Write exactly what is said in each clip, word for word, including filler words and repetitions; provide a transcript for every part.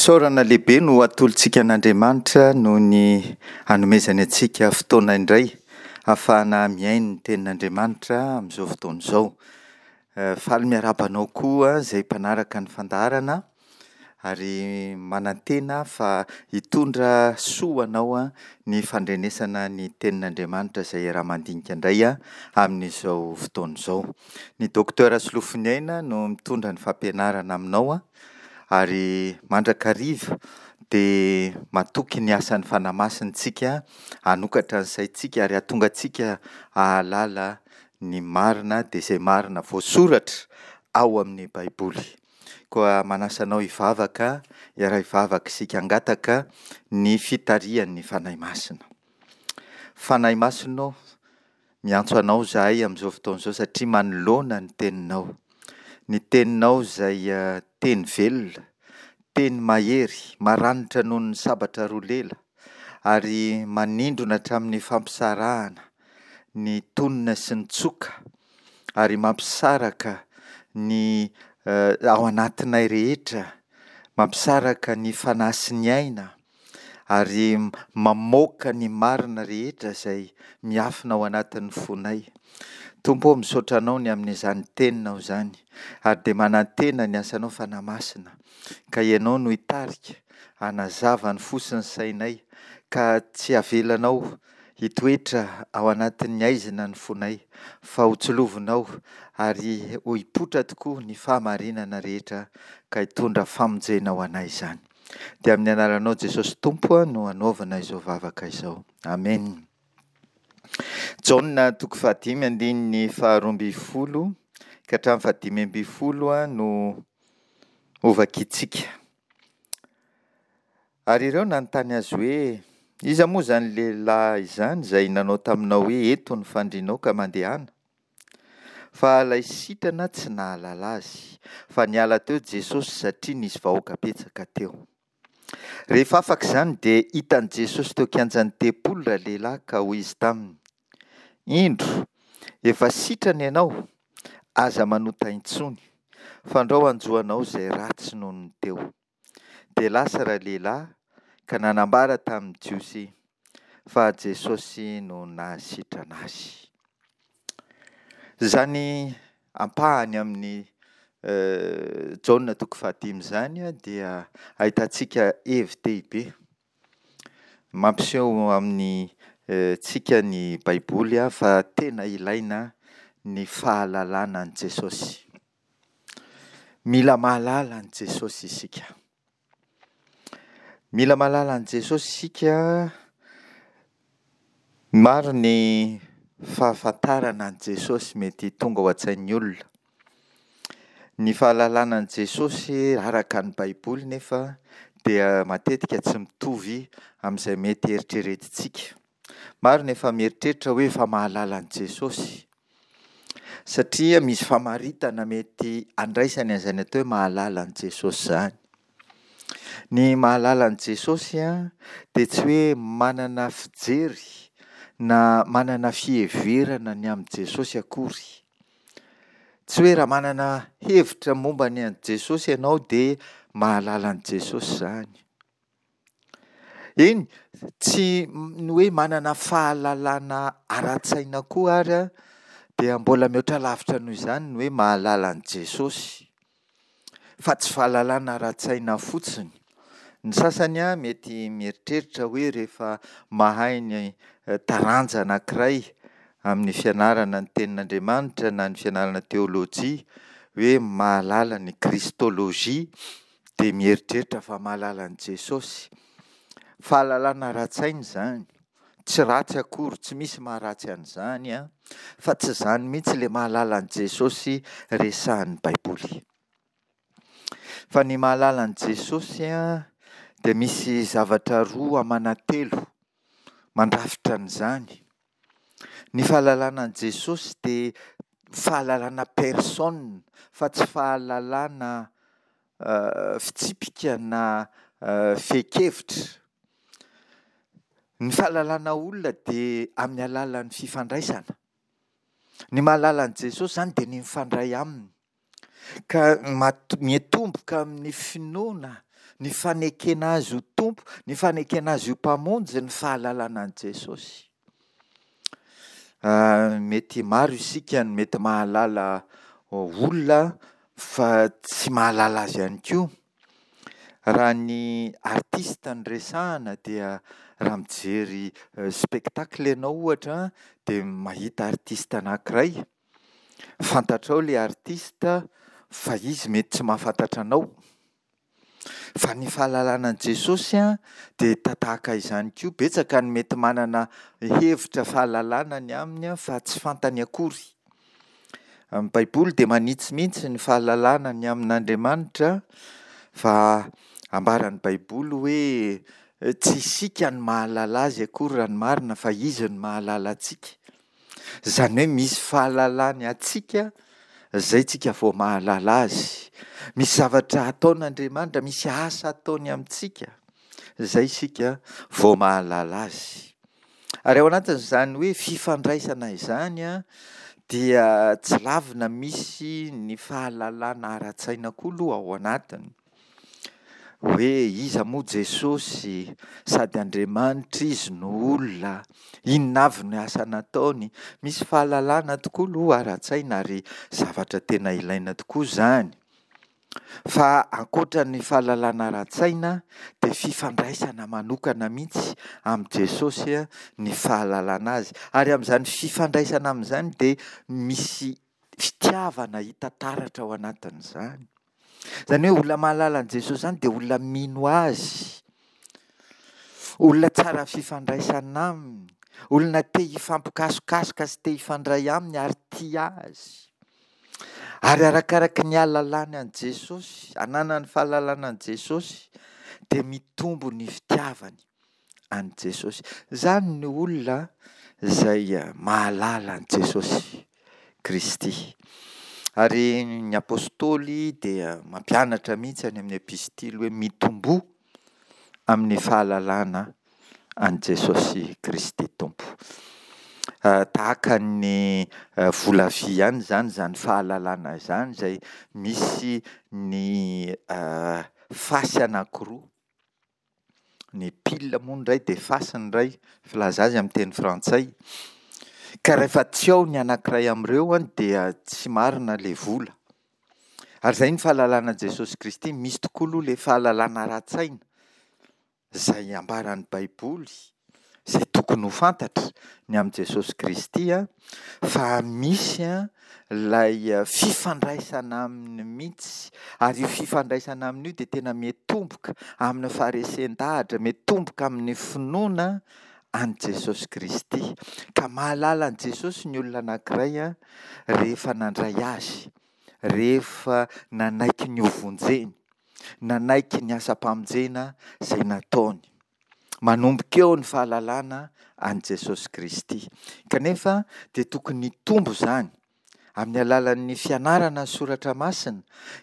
Fisaorana lehibe no atolotsika an'Andriamanitra noho ny anomezany antsika fotoana indray ahafahana mihaino ny tenin'Andriamanitra amin'izao fotoana izao. Faly miarahaba anao koa izay mpanaraka ny fandaharana ary manantena fa hitondra soa ho anao ny fandrenesana ny tenin'Andriamanitra izay iaraha-mandinika indray amin'izao fotoana izao. Ny Docteur Solofoniaina no mitondra ny fampianarana aminao ary mandrakariva dia matoky ny asan'ny Fanahy Masina isika hanokatra ny saintsika ary hahatonga antsika hahalala ny marina dia izay marina voasoratra ao amin'ny Baiboly. Koa manasa anao hivavaka, hiara-hivavaka isika hangataka ny fitarihan'ny Fanahy Masina. Fanahy Masina ô, miantso anao izahay amin'izao fotoana izao satria manoloana ny Teninao. Ny Teninao izay teny velona, teny mahery, maranitra noho ny sabatra roa lela, ary manindrona hatramin'ny fampisarahana ny tonona sy ny tsoka, ary mampisaraka ny ao anatinay rehetra, mampisaraka ny fanahy sy ny aina, ary mamoaka ny marina rehetra izay miafina ao anatin'ny fonay. Tompo ô, misaotra Anao ny amin'izany Teninao izany, ary dia manantena ny asanao Fanahy Masina, ka Ianao no hitarika, hanazava ny fo sy ny sainay, ka tsy havelanao hitoetra ao anatin'ny haizina ny fonay, fa ho tsilovinao ary ho hipoitra tokoa ny fahamarinana rehetra, ka hitondra famonjena ho anay izany. Dia amin'ny anaranao Jesosy Tompo no anaovana izao vavaka izao. Amen. Jaona toko fahadimy andininy faharoa ambin'ny folo ka hatramin'ny fahadimy ambin'ny folo no hovakintsika. Ary ireo nanontany azy hoe, Iza moa izany lehilahy izany izay nanao taminao hoe, Eto ny fandrianao ka mandehana? Fa ilay sitrana tsy nahalala azy, fa niala teo Jesosy satria nisy vahoaka betsaka teo. Rehefa afaka izany dia hitan'i Jesosy teo kianjan'ny tempoly ralehilahy ka hoy izy taminy, Indro, efa sitrana ianao, aza manota intsony, fandrao hanjo anao izay ratsy noho ny teo. Dia lasa ralehilahy ka nanambara tamin'ny Jiosy fa Jesosy no nahasitrana azy. Izany ampahany amin'ny Jaona toko fahadimy izany dia ahitantsika hevi-dehibe mampiseho amin'ny tsika ny Baiboly fa tena ilaina ny fahalalana an'i Jesosy. Mila mahalala an'i Jesosy isika. Mila mahalala an'i Jesosy isika. Maro ny fahafantarana an'i Jesosy mety tonga ao an-tsain'ny olona. Ny fahalalana an'i Jesosy araka ny Baiboly nefa dia matetika tsy mitovy amin'izay mety eritreretintsika. Maro ny efa mieritreritra hoe efa mahalala an'i Jesosy, satria misy famaritana mety andraisany an'izany atao hoe mahalala an'i Jesosy izany. Ny mahalala an'i Jesosy dia tsy hoe manana fijery na manana fiheverana ny amin'i Jesosy akory. Tsy hoe raha manana hevitra momba ny an'i Jesosy ianao dia mahalala an'i Jesosy izany. Eny, tsy ny hoe manana fahalalana ara-tsaina koa ary dia mbola mihoatra lavitra noho izany ny hoe mahalala an'i Jesosy, fa tsy fahalalana ara-tsaina fotsiny. Ny sasany mety mieritreritra hoe rehefa mahay ny taranja anankiray amin'ny fianarana ny tenin'Andriamanitra na ny fianarana teolojia, hoe mahalala ny kristolojia, dia mieritreritra fa mahalala an'i Jesosy. Fahalalana ara-tsaina izany, tsy ratsy akory, tsy misy maharatsy an'izany, fa tsy izany mihitsy ilay mahalala an'i Jesosy resahin'ny Baiboly. Fa ny mahalala an'i Jesosy dia misy zavatra roa amana telo mandrafitra an'izany. Ny fahalalana an'i Jesosy dia fahalalana personne fa tsy fahalalana fitsipika na fehin-kevitra. Ny fahalalana olona dia amin'ny alalan'ny fifandraisana. Ny mahalala an'i Jesosy izany dia ny mifandray aminy. Ka mat- miatomboka amin'ny finoana, ny fanekena Azy ho Tompo, ny fanekena Azy ho Mpamonjy ny fahalalana an'i Jesosy. Mety maro isika no mety mahalala olona fa tsy mahalala azy ihany koa. Raha ny artista no resahana dia raha mijery spectacle ianao ohatra an, dia mahita artista anankiray, fantatrao ilay artista fa izy mety tsy mahafantatra anao. Fa ny fahalalana an'i Jesosy an, dia tatahaka izany koa, betsaka ny mety manana hevitra fahalalana ny aminy an, fa tsy fantany akory. Ny baiboly dia manitsy mihitsy ny fahalalana ny amin'Andriamanitra fa ambaran'ny baiboly hoe tsy isika no mahalala azy akory raha ny marina fa izy no mahalala antsika. Izany hoe misy fahalalany antsika izay tsika vao mahalala azy. Misy zavatra ataon'Andriamanitra, misy asa ataony amintsika, izay isika vao mahalala azy. Ary ao anatin'izany hoe fifandraisana izany an, dia tsy lavina misy ny fahalalana ara-tsaina koa aloha ao anatiny. Hoe iza moa Jesosy? Sady Andriamanitra Izy no olona. Inona avy ny asa nataony? Misy fahalalana tokoa aloha ara-tsaina ary zavatra tena ilaina tokoa izany. Fa ankoatra ny fahalalana ara-tsaina dia fifandraisana manokana mihitsy amin'i Jesosy ny fahalalana azy. Ary amin'izany fifandraisana amin'izany dia misy fitiavana hita taratra ao anatin'izany. Izany hoe olona mahalala an'i Jesosy izany dia olona mino azy, olona tsara fifandraisana aminy, olona te hifampikasokasoka sy te hifandray aminy ary tia azy. Ary arakaraky ny ahalalany an'i Jesosy, ananany fahalalana an'i Jesosy, dia mitombo ny fitiavany an'i Jesosy. Izany ny olona izay mahalala an'i Jesosy Kristy. Ary ny apostoly dia mampianatra mihitsy any amin'ny epistily hoe mitomboa amin'ny fahalalana an'i Jesosy Kristy Tompo. Tahaka ny vola vy ihany izany izany fahalalana izany izay misy ny fasy anankiroa. Ny pile moa ny iray dia face ny iray, filaza azy amin'ny teny frantsay. Ka rehefa tsy ao ny anankiray amin'ireo an, dia tsy marina ilay vola. Ary izay ny fahalalana an'i Jesosy Kristy, misy tokoa aloha ilay fahalalana ara-tsaina izay ambaran'ny Baiboly, izay tokony ho fantatra ny amin'i Jesosy Kristy an, fa misy an ilay fifandraisana aminy mihitsy, ary io fifandraisana aminy io dia tena miatomboka amin'ny faharesen-dahatra, miatomboka amin'ny finoana an'i Jesosy Kristy. Ka mahalala an'i Jesosy ny olona anankiray an, rehefa nandray azy, rehefa nanaiky ny hovonjeny, nanaiky ny asam-pamonjena izay nataony. Manomboka eo ny fahalalana an'i Jesosy Kristy. Kanefa dia tokony hitombo izany amin'ny alalan'ny fianarana ny soratra masina,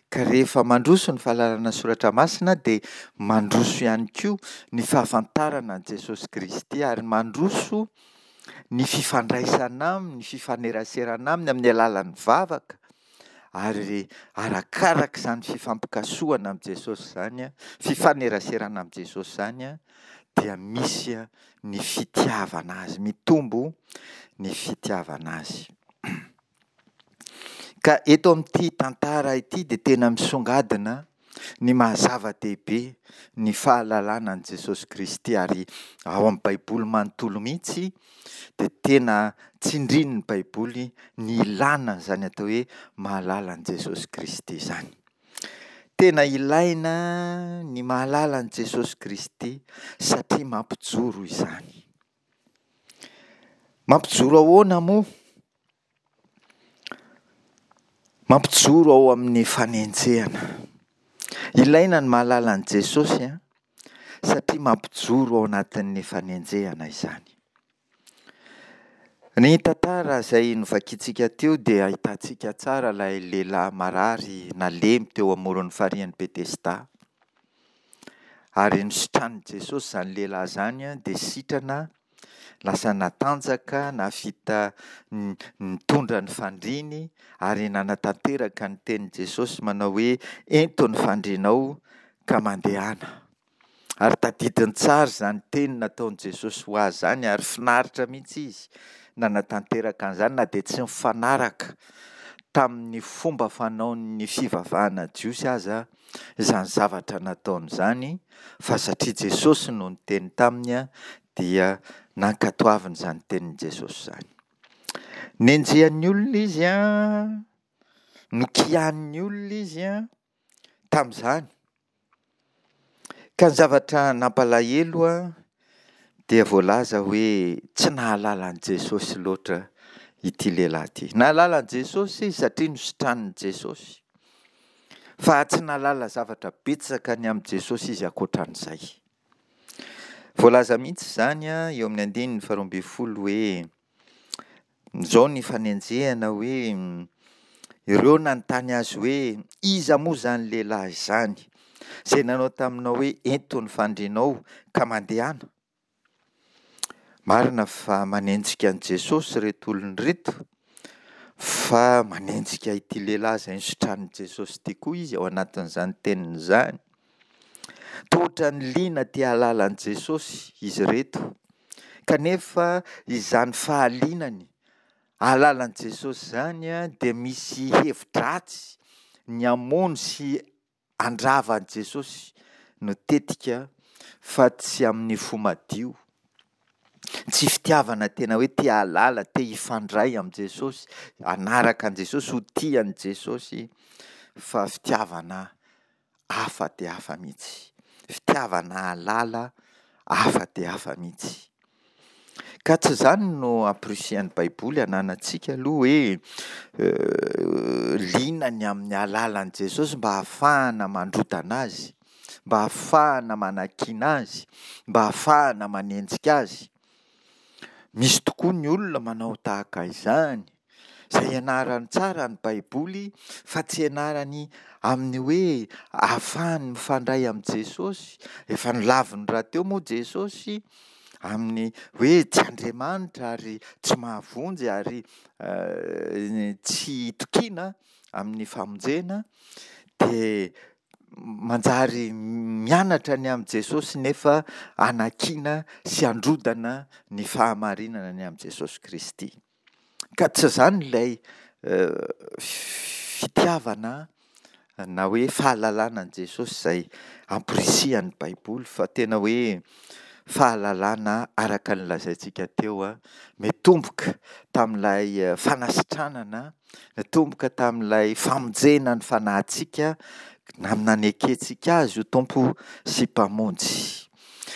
ka rehefa mandroso ny fahalalana ny soratra masina dia mandroso ihany koa ny fahafantarana an'i Jesosy Kristy ary mandroso ny fifandraisana aminy, ny fifaneraserana aminy amin'ny alalan'ny vavaka, ary arakaraka izany fifampikasohana amin'i Jesosy izany, fifaneraserana amin'i Jesosy izany, dia misy ny fitiavana azy, mitombo ny fitiavana azy. Ka eto amin'ity tantara ity dia tena misongadina ny maha zava-dehibe ny fahalalana an'i Jesosy Kristy, ary ao amin'ny Baiboly manontolo mihitsy dia tena tsindrin'ny Baiboly ny ilàna an'izany atao hoe mahalala an'i Jesosy Kristy izany. Tena ilaina ny mahalala an'i Jesosy Kristy satria mampijoro izany. Mampijoro ahoana moa? Mampijoro ao amin'ny fanenjehana. Ilaina ny mahalala an'i Jesosy an, satria mampijoro ao anatin'ny fanenjehana izany. Ny tantara izay novakintsika teo dia ahitantsika tsara ilay lehilahy marary nalemy teo amoron'ny farihin'i Betesda. Ary nositranin'i Jesosy izany lehilahy izany dia sitrana Lasa natanjaka, nahavita nitondra ny fandriany ary nanatanteraka ny tenin'i Jesosy manao hoe ento ny fandrianao ka mandehana. Ary tadidiny tsara izany teny nataon'i Jesosy ho azy izany ary finaritra mihitsy izy nanatanteraka an'izany na dia tsy nifanaraka tamin'ny fomba fanaon'ny fivavahana jiosy aza izany zavatra nataony izany, fa satria Jesosy no niteny taminy dia nankatoaviny izany tenin'i Jesosy izany. Nenjehan'ny olona izy an, nokianin'ny olona izy an, tamin'izany. Ka ny zavatra nampalahelo an, dia voalaza hoe tsy nahalala an'i Jesosy loatra ity lehilahy ity. Nahalala an'i Jesosy izy satria nositranin'i Jesosy. Fa tsy nahalala zavatra betsaka ny amin'i Jesosy izy ankoatran'izay. Voalaza mihitsy izany eo amin'ny andininy faharoa ambin'ny folo hoe, izao ny fanenjehana hoe, ireo nanontany azy hoe, iza moa izany lehilahy izany, izay nanao taminao hoe ento ny fandrianao ka mandehana? Marina fa manenjika an'i Jesosy ireto olona ireto, fa manenjika ity lehilahy izay nositranin'i Jesosy ity koa izy ao anatin'izany teniny izany. Toa ohatran'ny liana te hahalala an'i Jesosy izy ireto, kanefa izany fahalinany hahalala an'i Jesosy izany dia misy hevi-dratsy ny hamono sy handrava an'i Jesosy no tetika fa tsy amin'ny fo madio. Tsy fitiavana tena hoe te hahalala, te hifandray amin'i Jesosy, hanaraka an'i Jesosy, ho tia an'i Jesosy, fa fitiavana hafa dia hafa mihitsy. Fitiavana hahalala hafa dia hafa mihitsy. Ka tsy izany no ampirisihan'ny Baiboly hananantsika aloha hoe liana ny amin'ny hahalala an'i Jesosy mba hahafahana mandrodana azy, mba hahafahana manakiana azy, mba hahafahana manenjika azy. Misy tokoa ny olona manao tahaka izany, izay ianarany tsara ny Baiboly fa tsy ianarany amin'ny hoe ahafahany mifandray amin'i Jesosy. Efa nolaviny rahateo moa Jesosy amin'ny hoe tsy Andriamanitra ary tsy mahavonjy ary tsy itokiana amin'ny famonjena, dia manjary mianatra ny amin'i Jesosy nefa hanakiana sy handrodana ny fahamarinana ny amin'i Jesosy Kristy. Ka tsy izany ilay fitiavana na hoe fahalalana an'i Jesosy izay ampirisihan'ny Baiboly, fa tena hoe fahalalana araka ny lazaintsika teo, mitomboka tamin'ilay fanasitranana, nitomboka tamin'ilay famonjena ny fanahintsika, amin'ny nanekentsika azy ho Tompo sy Mpamonjy.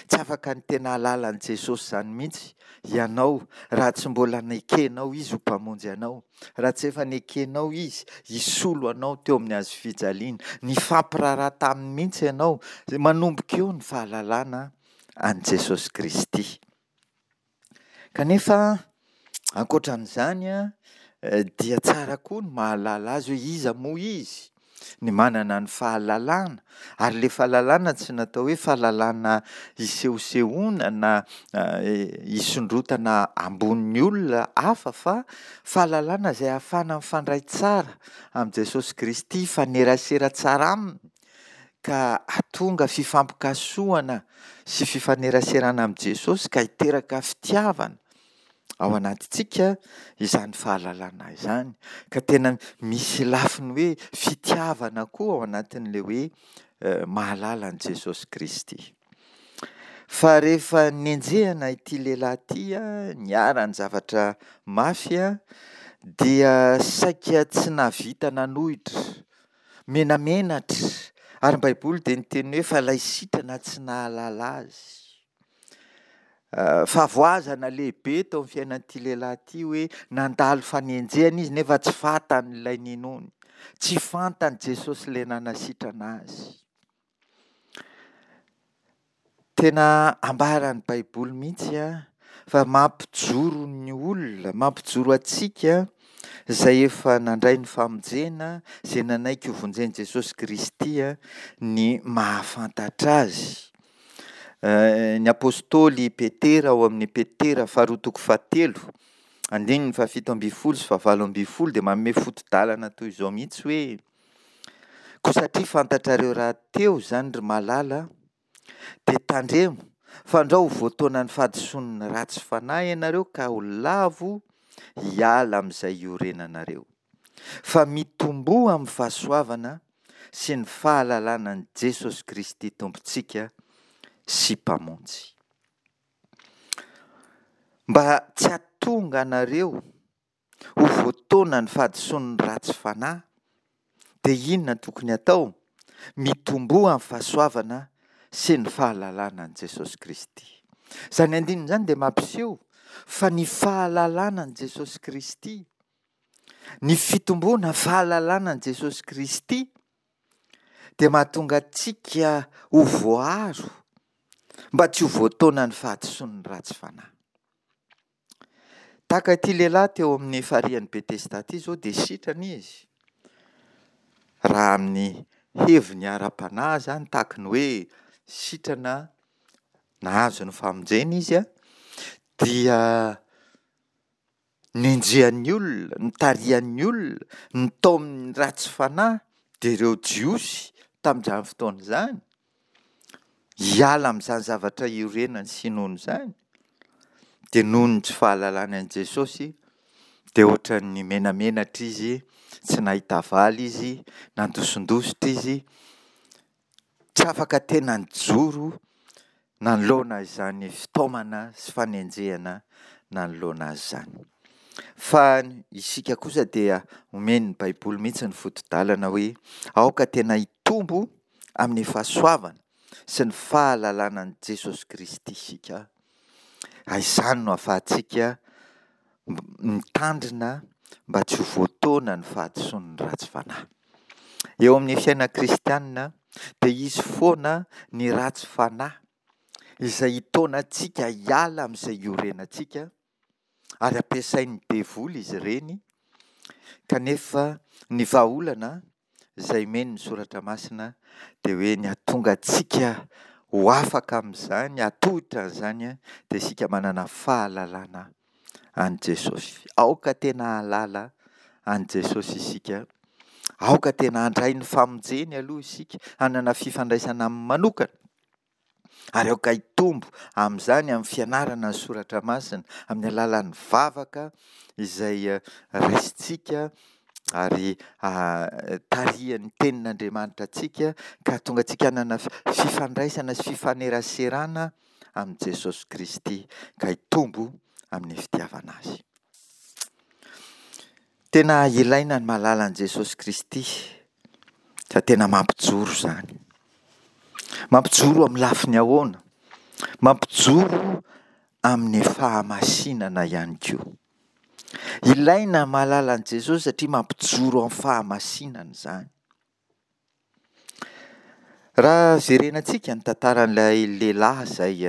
Tsy afaka ny tena hahalala an'i Jesosy izany mihitsy ianao raha tsy mbola nekenao Izy ho Mpamonjy anao, raha tsy efa nekenao Izy hisolo anao teo amin'ny hazo fijaliana. Nifampiraharaha taminy mihitsy ianao, manomboka eo ny fahalalana an'i Jesosy Kristy. Kanefa ankoatran'izany dia tsara koa ny mahalala azy hoe iza moa izy, ny manana ny fahalalana, ary ilay fahalalana tsy natao hoe fahalalana isehosehoana na isondrotana ambonin'ny olona hafa fa fahalalana izay ahafahana mifandray tsara amin'i Jesosy Kristy, hifanerasera tsara aminy, ka hahatonga fifampikasohana sy fifaneraserana amin'i Jesosy ka hiteraka fitiavana ao anatintsika izany fahalalana izany. Ka tena misy lafiny hoe fitiavana koa ao anatin'ilay hoe mahalala an'i Jesosy Kristy. Fa rehefa nenjehina ity lehilahy ity, niharan'ny zavatra mafy, dia saika tsy nahavita nanohitra, menamenatra, ary ny Baiboly dia niteny hoe fa ilay sitrana tsy nahalala azy. Fahavoazana lehibe teo amin'ny fiainan'ity lehilahy ity hoe nandalo fanenjehana izy nefa tsy fantany ilay ninoany, tsy fantany Jesosy ilay nanasitrana azy. Tena ambaran'ny Baiboly mihitsy fa mampijoro ny olona, mampijoro antsika izay efa nandray ny famonjena, izay nanaiky hovonjen'i Jesosy Kristy ny mahafantatra azy. Ny apostoly Petera ao amin'ny Petera faharoa toko fahatelo, andininy fahafito ambin'ny folo sy fahavalo ambin'ny folo dia manome foto-dalana toy izao mihitsy hoe: "Koa satria fantatrareo rahateo izany, ry malala, dia tandremo fandrao ho voataonan'ny fahadisoan'ny ratsy fanahy ianareo ka ho lavo hiala amin'izay iorenanareo. Fa mitomboa amin'ny fahasoavana sy ny fahalalana an'i Jesosy Kristy Tompontsika sy Mpamonjy." Mba tsy hahatonga anareo ho voataonan'ny fahadisoan'ny ratsy fanahy, dia inona no tokony hatao? Mitomboa amin'ny fahasoavana sy ny fahalalana an'i Jesosy Kristy. Izany andininy izany dia mampiseho fa ny fahalalana an'i Jesosy Kristy, ny fitomboana fahalalana an'i Jesosy Kristy dia mahatonga antsika ho voaaro mba tsy ho voataonan'ny fahadisoan'ny ratsy fanahy. Tahaka ity lehilahy teo amin'ny farihin'i Betesda ity izao dia sitrana izy. Raha amin'ny heviny ara-panahy izany, tahaka ny hoe sitrana nahazo ny famonjena izy, dia nenjehan'ny olona, nitarihan'ny olona, nitaomin'ny ratsy fanahy, dia ireo Jiosy tamin'izany fotoana izany, hiala amin'izany zavatra iorenany sy inoany izany, dia noho ny tsy fahalalany an'i Jesosy, dia ohatran'ny menamenatra izy, tsy nahita valy izy, nandosindositra izy, tsy afaka tena nijoro nanoloana izany fitaomana sy fanenjehana nanoloana azy izany. Fa isika kosa dia omen'ny Baiboly mihitsy ny foto-dalana hoe aoka tena hitombo amin'ny fahasoavana sy ny fahalalana an'i Jesosy Kristy isika. Ary izany no ahafahantsika mitandrina mba tsy ho voataona ny fahadisoan'ny ratsy fanahy. Eo amin'ny fiainana kristianina dia hisy foana ny ratsy fanahy izay hitaona antsika hiala amin'izay iorenantsika, ary ampiasain'ny devoly izy ireny, kanefa ny vahaolana izay omen'ny Soratra Masina dia hoe ny hahatonga antsika ho afaka amin'izany, hahatohitra an'izany, dia isika manana fahalalana an'i Jesosy. Aoka tena hahalala an'i Jesosy isika. Aoka tena handray ny famonjeny aloha isika, hanana fifandraisana aminy manokana. Ary aoka hitombo amin'izany amin'ny fianarana ny Soratra Masina, amin'ny alalan'ny vavaka izay raisintsika ary tarihan'ny Tenin'Andriamanitra antsika, ka hahatonga antsika hanana fifandraisana sy fifaneraserana amin'i Jesosy Kristy, ka hitombo amin'ny fitiavana Azy. Tena ilaina ny mahalala an'i Jesosy Kristy, fa tena mampijoro izany. Mampijoro amin'ny lafiny ahoana? Mampijoro amin'ny fahamasinana ihany koa. Ilaina ny mahalala an'i Jesosy satria mampijoro amin'ny fahamasinana izany. Raha jerenantsika ny tantaran'ilay lehilahy izay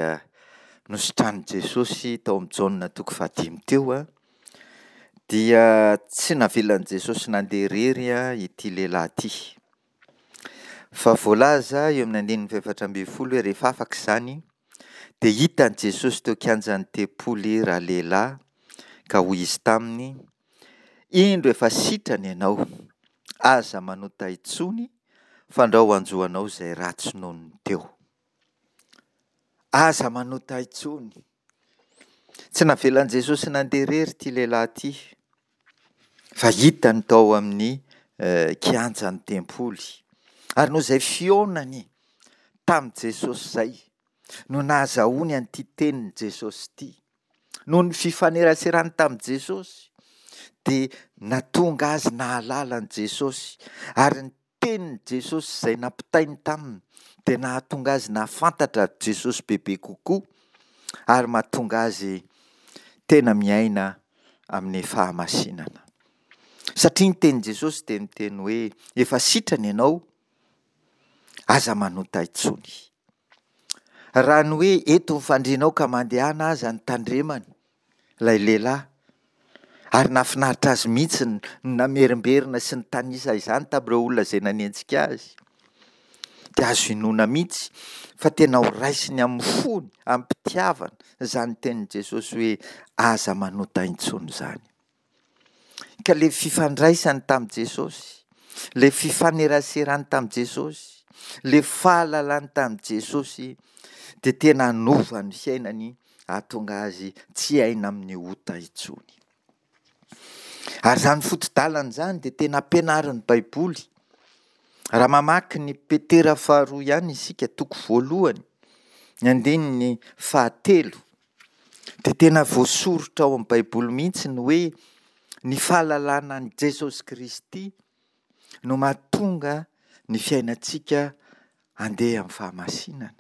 nositranin'i Jesosy tao amin'ny Jaona toko fahadimy teo, dia tsy navelan'i Jesosy nandeha irery ity lehilahy ity. Fa voalaza eo amin'ny andininy fahefatra ambin'ny folo hoe rehefa afaka izany dia hitan'i Jesosy teo kianjan'ny tempoly ralehilahy ka hoy izy taminy: "Indro efa sitrana ianao, aza manota intsony fandrao hanjo anao izay ratsy noho ny teo." Aza manota intsony. Tsy navelan'i Jesosy nandeha irery ity lehilahy ity, fa hitany tao amin'ny kianjan'ny tempoly. Ary noho izay fihaonany tamin'i Jesosy izay no nahazahoany an'ity tenin'i Jesosy ity. Noho ny fifaneraserany tamin'i Jesosy dia nahatonga azy nahalala an'i Jesosy, ary ny tenin'i Jesosy izay nampitainy taminy dia nahatonga azy nahafantatra Jesosy bebe kokoa, ary mahatonga azy tena miaina amin'ny fahamasinana. Satria ny tenin'i Jesosy dia miteny hoe efa sitrana ianao, aza manota intsony. Raha ny hoe eto ny fandrianao ka mandehana aza ny tandremany ilay lehilahy, ary nahafinaritra azy mihitsy ny namerimberina sy nitanisa izany tamin'ireo olona izay nanenjika azy, dia azo inoana mihitsy fa tena ho raisiny amin'ny fony, amim-pitiavana, izany tenin'i Jesosy hoe aza manota intsony izany. Ka ilay fifandraisany tamin'i Jesosy, ilay fifaneraserany tamin'i Jesosy, ilay fahalalany tamin'i Jesosy dia tena hanova ny fiainany hahatonga azy tsy hiaina amin'ny ota intsony. Ary izany foto-dalana izany dia tena ampianarin'ny Baiboly. Raha mamaky ny Petera faharoa ihany isika, toko voalohany, ny andininy fahatelo, dia tena voasoritra ao amin'ny Baiboly mihitsy ny hoe ny fahalalana an'i Jesosy Kristy no mahatonga ny fiainantsika handeha amin'ny fahamasinana.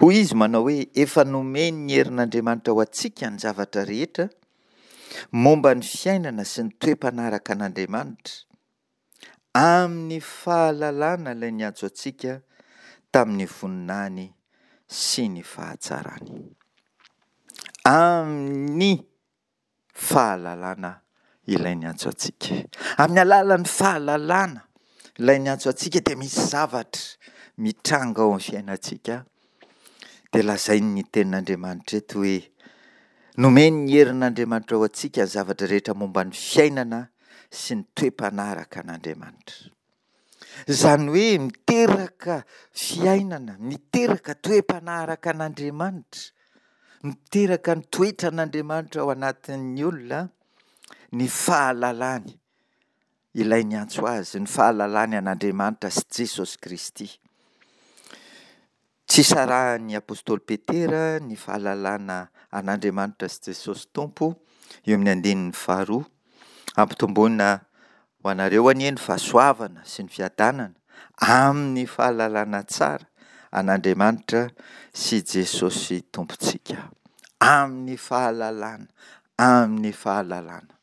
Hoy izy manao hoe efa nomen'ny herin'Andriamanitra ho antsika ny zavatra rehetra momba ny fiainana sy ny toe-panaraka an'Andriamanitra, amin'ny fahalalana ilay niantso antsika tamin'ny voninahiny sy ny fahatsarany. Amin'ny fahalalana ilay niantso antsika. Amin'ny alalan'ny fahalalana ilay niantso antsika dia misy zavatra mitranga ao amin'ny fiainantsika. Dia lazain'ny tenin'Andriamanitra eto hoe nomen'ny herin'Andriamanitra ho antsika ny zavatra rehetra momba ny fiainana sy ny toe-panaraka an'Andriamanitra. Izany hoe miteraka fiainana, miteraka toe-panaraka an'Andriamanitra, miteraka ny toetran'Andriamanitra ao anatin'ny olona ny fahalalany ilay niantso azy, ny fahalalany an'Andriamanitra sy Jesosy Kristy. Tsy sarahan'ny apostoly Petera ny fahalalana an'Andriamanitra sy Jesosy Tompo eo amin'ny andininy faharoa. Ampitomboina ho anareo anie ny fahasoavana sy ny fiadanana amin'ny fahalalana tsara an'Andriamanitra sy Jesosy Tompontsika. Amin'ny fahalalana, amin'ny fahalalana.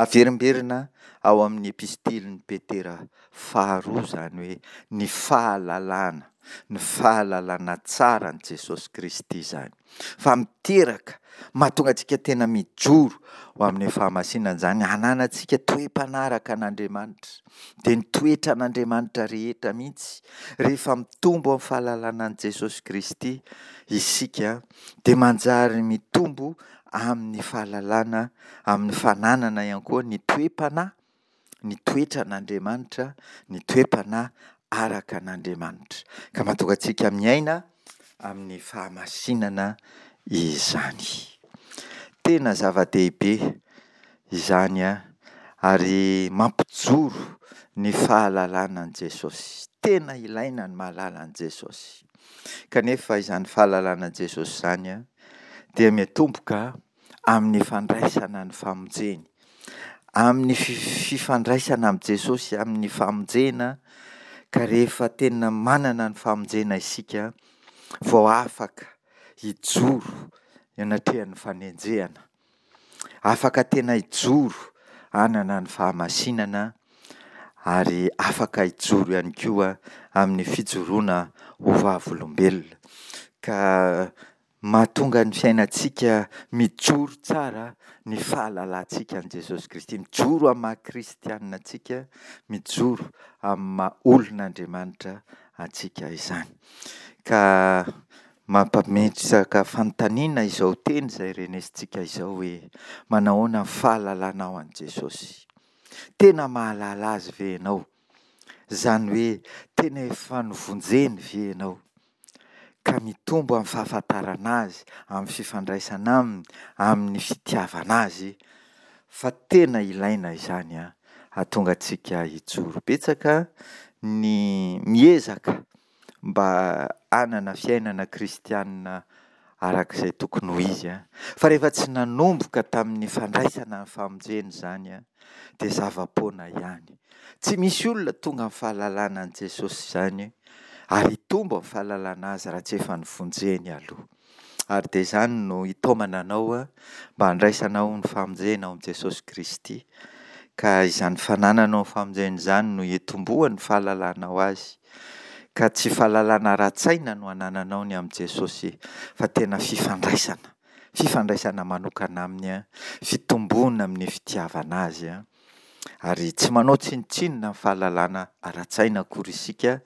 Averimberina ao amin'ny epistilin'i Petera faharoa izany hoe ny fahalalana, ny fahalalana tsara an'i Jesosy Kristy izany. Fa miteraka, mahatonga antsika tena mijoro ho amin'ny fahamasinana izany, hananantsika toe-panaraka an'Andriamanitra. Dia ny toetran'Andriamanitra rehetra mihitsy, rehefa mitombo amin'ny fahalalana an'i Jesosy Kristy isika, dia manjary mitombo amin'ny fahalalana, amin'ny fananana ihany koa ny toe-panahy, ny toetran'Andriamanitra, ny toe-panahy araka an'Andriamanitra. Ka mahatonga antsika miaina amin'ny fahamasinana izany. Tena zava-dehibe izany ary mampijoro ny fahalalana an'i Jesosy. Tena ilaina ny mahalala an'i Jesosy. Kanefa izany fahalalana an'i Jesosy izany dia miatomboka amin'ny fandraisana ny famonjeny. Amin'ny fifandraisana amin'i Jesosy, amin'ny famonjena, ka rehefa tena manana ny famonjena isika vao afaka hijoro eo anatrehan'ny fanenjehana. Afaka tena hijoro hanana ny fahamasinana ary afaka hijoro ihany koa amin'ny fijoroana ho vavolombelona. Ka mahatonga ny fiainantsika mijoro tsara ny fahalalantsika an'i Jesosy Kristy. Mijoro amin'ny maha kristianina antsika, mijoro amin'ny maha olon'Andriamanitra antsika izany. Ka mampametraka fanontaniana izao teny izay renesintsika izao hoe manahoana ny fahalalanao an'i Jesosy? Tena mahalala azy ve ianao? Izany hoe tena efa novonjeny ve ianao? Ka mitombo amin'ny fahafantarana azy, amin'ny fifandraisana aminy, amin'ny fitiavana azy, fa tena ilaina izany hahatonga antsika hijoro. Betsaka ny miezaka mba hanana fiainana kristianina araka izay tokony ho izy, fa rehefa tsy nanomboka tamin'ny fandraisana ny famonjena izany dia zava-poana ihany. Tsy misy olona tonga amin'ny fahalalana an'i Jesosy izany ary hitombo amin'ny fahalalana azy raha tsy efa novonjeny aloha. Ary dia izany no hitaomana anao mba handraisanao ny famonjena ao amin'i Jesosy Kristy. Ka izany fanananao ny famonjena izany no hitomboan'ny fahalalanao azy. Ka tsy fahalalana ara-tsaina no anananao ny amin'i Jesosy fa tena fifandraisana, fifandraisana manokana aminy, fitomboana amin'ny fitiavana azy. Ary tsy manao tsinontsinona ny fahalalana ara-tsaina akory isika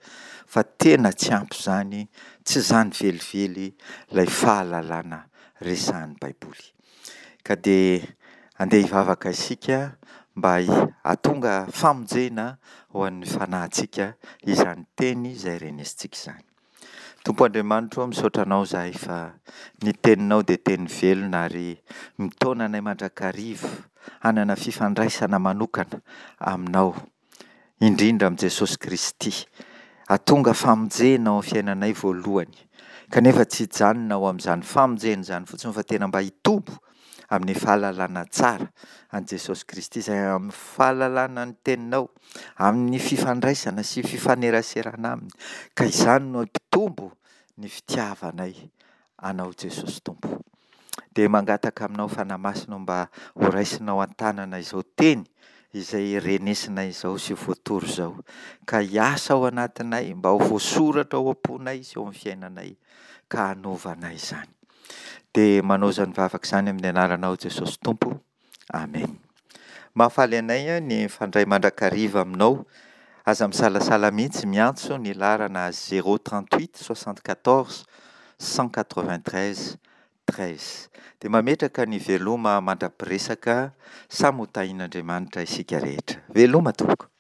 fa tena tsy ampy izany, tsy izany velively ilay fahalalana resahan'ny Baiboly. Ka dia andeha hivavaka isika mba hahatonga famonjena ho an'ny fanahintsika izany teny izay renesintsika izany. Tompo Andriamanitra o, misaotra Anao izahay fa ny Teninao dia teny velona ary mitaona anay mandrakariva hanana fifandraisana manokana Aminao, indrindra amin'i Jesosy Kristy. Hahatonga famonjena ao amin'ny fiainanay voalohany, kanefa tsy hijanona ao amin'izany famonjena izany fotsiny fa tena mba hitombo amin'ny fahalalana tsara an'i Jesosy Kristy izay amin'ny fahalalana ny Teninao, amin'ny fifandraisana sy fifaneraserana Aminy, ka izany no hampitombo ny fitiavanay Anao Jesosy Tompo. Dia mangataka Aminao Fanahy Masina mba ho raisinao an-tanana izao teny izay renesinay izao sy voatory izao, ka hiasa ao anatinay, mba ho voasoratra ao am-ponay sy eo amin'ny fiainanay, ka hanova anay izany. Dia manao izany vavaka izany amin'ny anaranao Jesosy Tompo. Amena. Mahafaly anay ny mifandray mandrakariva aminao. Aza misalasala mihitsy miantso ny laharana zéro trente huit soixante quatorze cent quatre vingt treize treize. Dia mametraka ny veloma mandra-piresaka, samy ho tahian'Andriamanitra isika rehetra. Veloma tompoko.